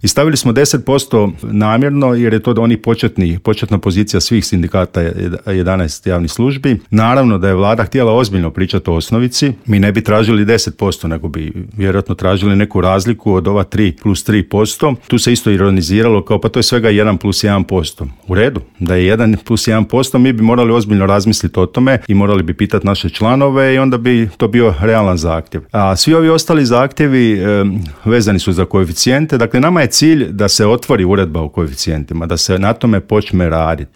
I stavili smo 10% namjerno jer je to oni početna pozicija svih sindikata 11 javnih službi. Naravno da je vlada htjela ozbiljno pričati o osnovici, mi ne bi tražili 10%, nego bi vjerojatno tražili neku razliku od ova 3 plus 3%. Tu se isto ironiziralo kao pa to je svega 1 plus 1%. U redu, da je 1 plus 1%, mi bi morali ozbiljno razmisliti o tome i morali bi pitati naše članove i onda bi to bio realan zahtjev. A svi ovi ostali zahtjevi vezani su za koeficijente. Dakle, nama je cilj da se otvori uredba o koeficijentima, da se na tome počne raditi.